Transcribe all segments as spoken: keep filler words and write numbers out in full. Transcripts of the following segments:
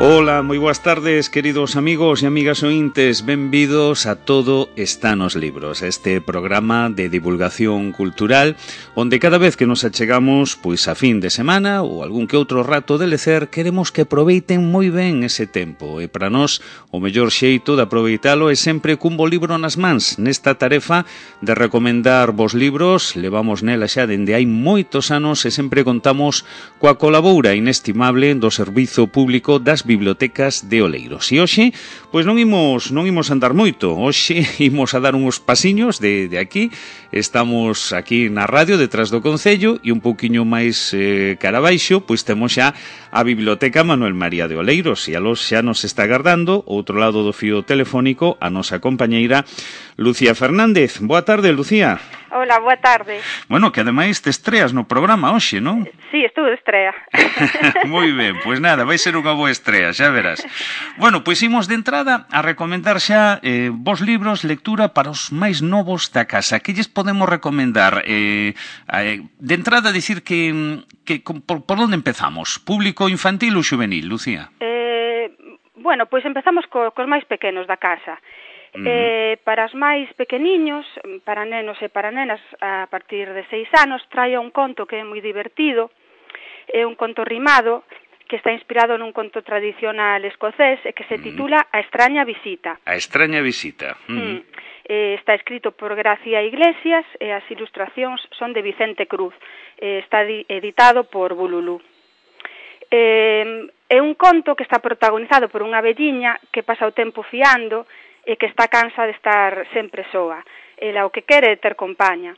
Ola, moi boas tardes, queridos amigos e amigas ointes. Benvidos a Todo está nos libros, este programa de divulgación cultural onde cada vez que nos achegamos pois a fin de semana ou algún que outro rato de lecer, queremos que aproveiten moi ben ese tempo. E para nós, o mellor xeito de aproveitalo é sempre cun bo libro nas mans. Nesta tarefa de recomendar vos libros, levamos nela xa dende hai moitos anos e sempre contamos coa colaboura inestimable do Servizo Público das Bibliotecas de Oleiros. E hoxe, pois non imos, non imos andar moito. Hoxe imos a dar uns pasiños de, de aquí. Estamos aquí na radio, detrás do Concello, e un pouquiño máis eh, cara abaixo, pois temos xa a Biblioteca Manuel María de Oleiros. E a los xa nos está agardando, outro lado do fío telefónico, a nosa compañeira Lucía Fernández. Boa tarde, Lucía. Hola, boa tarde. Bueno, que ademais te estreas no programa hoxe, non? Sí, estou de estrea. Moi ben, pois nada, vai ser unha boa estrea, xa verás. Bueno, pois imos de entrada a recomendar xa eh, vos libros, lectura para os máis novos da casa. Que lles podemos recomendar? Eh, eh, de entrada, dicir que, que por, por onde empezamos? Público infantil ou juvenil, Lucía? Eh, bueno, pois empezamos co, cos máis pequenos da casa. Uh-huh. Eh, para os máis pequeniños, para nenos e para nenas a partir de seis anos, traio un conto que é moi divertido, é un conto rimado que está inspirado nun conto tradicional escocés e que se titula A extraña visita. A extraña visita. Uh-huh. Mm. Eh, está escrito por Gracia Iglesias e as ilustracións son de Vicente Cruz. Eh, está editado por Bululú. Eh, é un conto que está protagonizado por unha velliña que pasa o tempo fiando e que está cansa de estar sempre soa. Ela o que quere é ter compaña.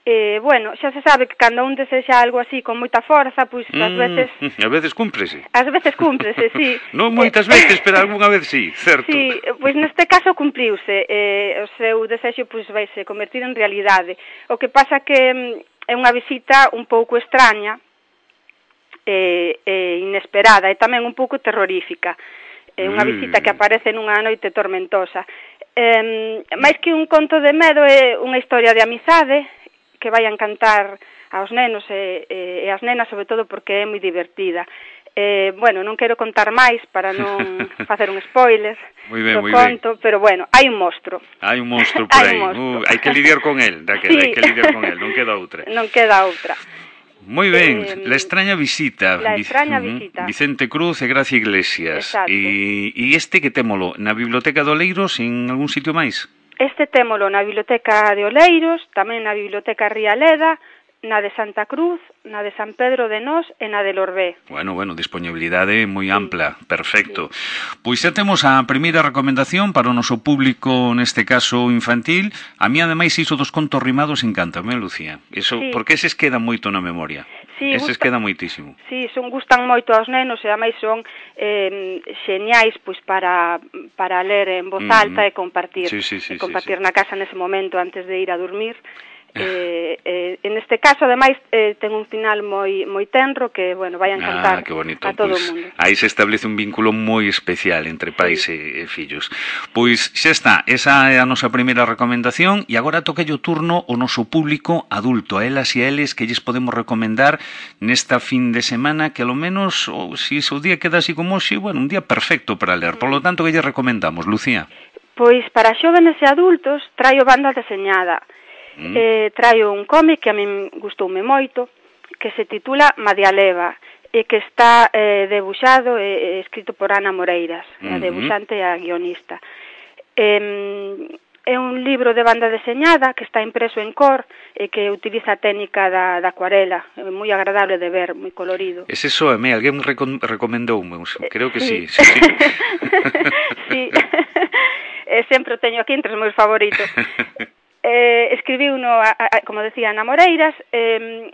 E, bueno, xa se sabe que cando un desexa algo así con moita forza, pois mm, ás veces... A veces cúmprese. Ás veces cúmprese, sí. Non moitas veces, pero algunha vez sí, certo. Sí, pois neste caso cumpriuse. Eh, o seu desexo pois vaise convertir en realidade. O que pasa que é unha visita un pouco extraña e, e inesperada e tamén un pouco terrorífica. É unha visita que aparece nunha noite tormentosa. Eh, máis que un conto de medo, é unha historia de amizade que vai a encantar aos nenos e, e, e as nenas, sobre todo porque é moi divertida. Eh, bueno, non quero contar máis para non facer un spoiler muy ben, do muy conto, ben. Pero bueno, hai un monstro. Hai un monstro por aí. Uh, hai que lidiar con el, daquela, sí. hai que lidiar con el, non queda outra. Non queda outra. Moi ben, eh, La extraña visita. La extraña visita. Vicente Cruz e Gracia Iglesias. Exacto. E, e este que témolo na Biblioteca de Oleiros en algún sitio máis? Este témolo na Biblioteca de Oleiros, tamén na Biblioteca Rialeda, na de Santa Cruz, na de San Pedro de Nós e na de Lorbé. Bueno, bueno, disponibilidade moi ampla, sí. Perfecto. Sí. Pois xa temos a primeira recomendación para o noso público, neste caso infantil. A mí, ademais, iso dos contos rimados encántame, Lucía. Eso, sí. Porque eses quedan moito na memoria. Sí, eses gusta, quedan moitísimo. Sí, son gustan moito aos nenos e ademais son eh, xeñais pois para para ler en voz alta mm. e compartir, sí, sí, sí, e compartir sí, sí. na casa nese momento antes de ir a dormir. Eh, eh, en este caso, ademais, eh, ten un final moi moi tenro que, bueno, vai a encantar ah, que bonito. A todo o Pois, mundo. Aí se establece un vínculo moi especial entre pais sí. e, e fillos. Pois xa está, esa é a nosa primeira recomendación e agora toca o turno o noso público adulto, a elas e a eles que lles podemos recomendar nesta fin de semana que, ao menos, ou, se o día queda así como hoxe, bueno, un día perfecto para ler. Por lo tanto, que lles recomendamos, Lucía? Pois para xóvenes e adultos traio banda deseñada. Mm. Eh, traio un cómic que a min gustoume moito, que se titula Madialeva, e que está eh, debuxado e eh, escrito por Ana Moreiras, mm-hmm. a debuxante e a guionista. Eh, é un libro de banda deseñada que está impreso en cor e que utiliza a técnica da, da acuarela, é moi agradable de ver, moi colorido. Ese soame, alguén recom recomendoume, creo que sí. Sí, sí, sí. sí. E sempre o teño aquí entre os meus favoritos. Eh, escribiu uno, a, a, como decía, Ana Moreiras. Eh,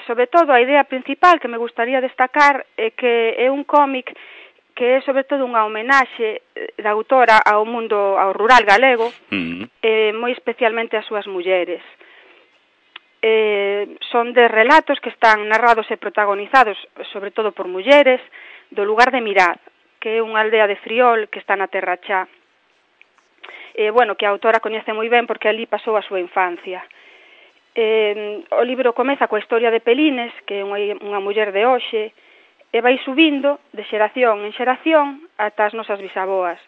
sobre todo a idea principal que me gustaría destacar é que é un cómic que é sobre todo unha homenaxe da autora ao mundo, ao rural galego, mm. eh, moi especialmente ás súas mulleres. Eh, son de relatos que están narrados e protagonizados sobre todo por mulleres do lugar de Mirad, que é unha aldea de Friol que está na Terra Chá. Eh, bueno, que a autora coñece moi ben porque ali pasou a súa infancia. Eh, o libro comeza coa historia de Pelines, que é unha, unha muller de hoxe, e vai subindo de xeración en xeración ata as nosas bisaboas.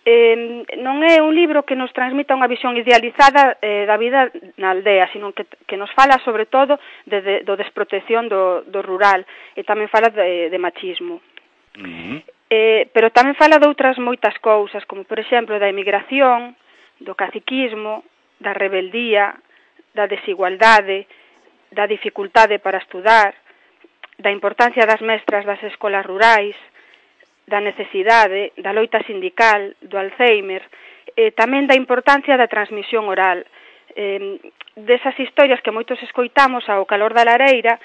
Eh, non é un libro que nos transmita unha visión idealizada eh, da vida na aldea, sino que, que nos fala sobre todo de, de, do desprotección do, do rural, e tamén fala de, de machismo. Uh-huh. Eh, pero tamén fala de outras moitas cousas, como por exemplo da emigración, do caciquismo, da rebeldía, da desigualdade, da dificultade para estudar, da importancia das mestras das escolas rurais, da necesidade, da loita sindical, do Alzheimer, e tamén da importancia da transmisión oral, eh, desas historias que moitos escoitamos ao calor da lareira,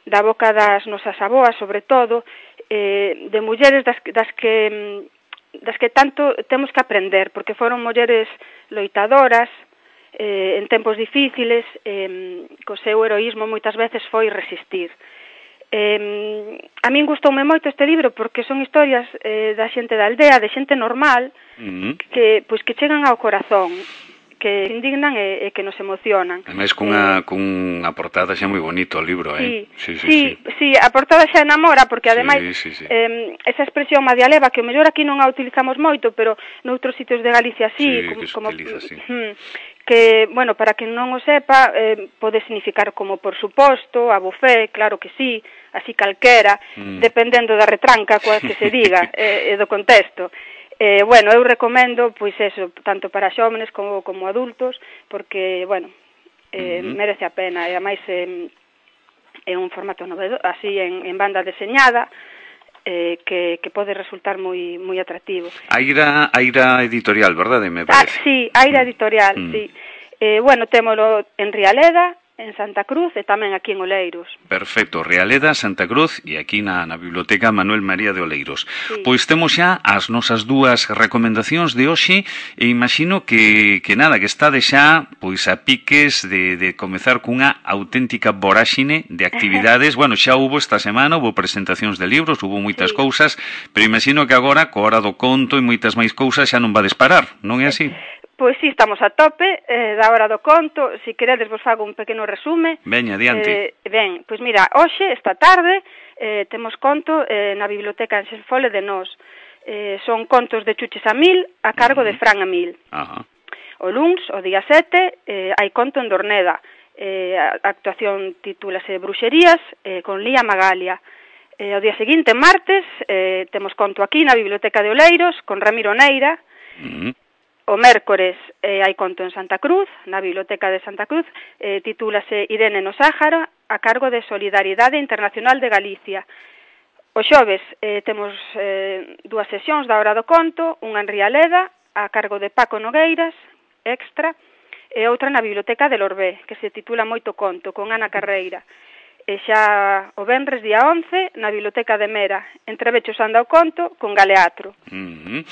da boca das nosas aboas, sobre todo, eh, de mulleres das, das que das que tanto temos que aprender, porque foron mulleres loitadoras, eh, en tempos difíciles, eh, co seu heroísmo moitas veces foi resistir. Eh, a min gustoume moito este libro porque son historias eh, da xente da aldea, de xente normal, uh-huh. que pois que chegan ao corazón, que indignan e, e que nos emocionan. Ademais, cunha, eh, cunha portada xa moi bonito o libro, eh? Sí, sí, sí, sí. sí, a portada xa enamora, porque ademais sí, sí, sí. Eh, esa expresión madialeva, que o mellor aquí non a utilizamos moito, pero noutros sitios de Galicia sí, sí como, que como utiliza, sí. que, bueno, para quen non o sepa, eh, pode significar como por suposto, a bufé, claro que sí, así calquera, mm. dependendo da retranca coa que se diga e, e do contexto. Eh, bueno, eu recomendo, pois eso, tanto para xóvenes como, como adultos, porque, bueno, eh, mm-hmm. merece a pena, e ademais eh, é un formato novedoso, así en, en banda deseñada, eh, que, que pode resultar moi moi atractivo. Aira, Aira Editorial, verdade, me parece? Ah, sí, Aira Editorial, mm. sí. Eh, bueno, témolo en Rialeda, en Santa Cruz e tamén aquí en Oleiros. Perfecto, Rialeda, Santa Cruz e aquí na, na Biblioteca Manuel María de Oleiros. Sí. Pois temos xa as nosas dúas recomendacións de hoxe e imagino que, que nada, que está de xa pois a piques de, de comezar cunha auténtica voráxine de actividades. Bueno, xa hubo esta semana, hubo presentacións de libros, hubo moitas sí. cousas, pero imagino que agora, co hora do conto e moitas máis cousas, xa non vades parar, non é así? Pois sí, estamos a tope eh, da hora do conto. Si queredes vos fago un pequeno resume. Veña, adiante. Eh, ben, pois mira, hoxe, esta tarde, eh, temos conto eh, na Biblioteca en Xenfole de Nós. Eh, son contos de Chuches a Mil a cargo uh-huh. de Fran Amil. Uh-huh. O luns, o día sete, eh, hai conto en Dorneda. Eh, a actuación titúlase Bruxerías eh, con Lía Magalia. Eh, o día seguinte, martes, eh, temos conto aquí na Biblioteca de Oleiros con Ramiro Neira. Uh-huh. O mércores eh, hai conto en Santa Cruz, na Biblioteca de Santa Cruz, eh, titúlase Irene no Sáhara, a cargo de Solidariedade Internacional de Galicia. O xoves eh, temos eh, dúas sesións da hora do conto, unha en Rialeda, a cargo de Paco Nogueiras, extra, e outra na Biblioteca de Lorbé, que se titula Moito Conto, con Ana Carreira. E xa o venres día once na Biblioteca de Mera, entre Bechos anda o conto con Galeatro. Uh-huh.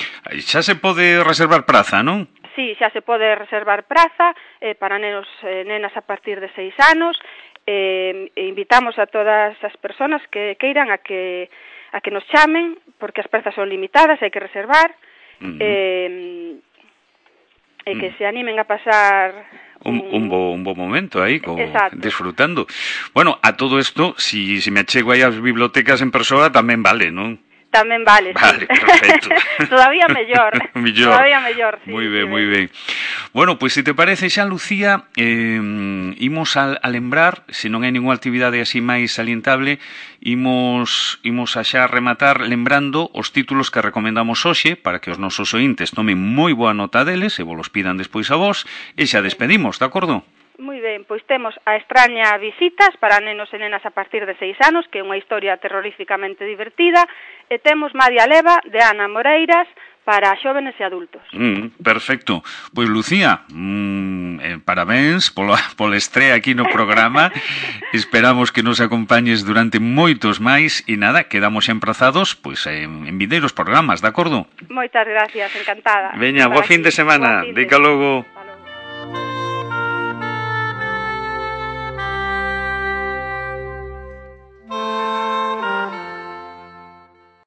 Xa se pode reservar praza, non? Sí, xa se pode reservar praza eh, para nenos e eh, nenas a partir de seis anos. Eh, e invitamos a todas as persoas que queiran a que a que nos chamen, porque as prazas son limitadas, hai que reservar. Uh-huh. Eh, e que uh-huh. se animen a pasar Un, un, bo, un bo momento aí, co, disfrutando. Bueno, a todo isto, si, si me achego aí ás bibliotecas en persoa, tamén vale, non? Tamén vale, vale, sí. Perfecto. Todavía mellor. mellor. Todavía mellor, sí. Moi ben, sí, moi ben. Bueno, pois pues, se te parece xa, Lucía, eh, imos a, a lembrar, se non hai ninguna actividade así máis salientable, imos, imos a xa rematar lembrando os títulos que recomendamos hoxe, para que os nosos ointes tomen moi boa nota deles, e vos los pidan despois a vos, e xa despedimos, de acordo? Moi ben, pois temos A extraña visitas para nenos e nenas a partir de seis anos, que é unha historia terroríficamente divertida, e temos Madia Leva, de Ana Moreiras, para xóvenes e adultos. Mm, perfecto. Pois, Lucía, mm, eh, parabéns pola, pola estrea aquí no programa. Esperamos que nos acompañes durante moitos máis e nada, quedamos emprazados pois, en, en vindeiros programas, de acordo? Moitas gracias, encantada. Veña, bo fin de semana. Dica logo.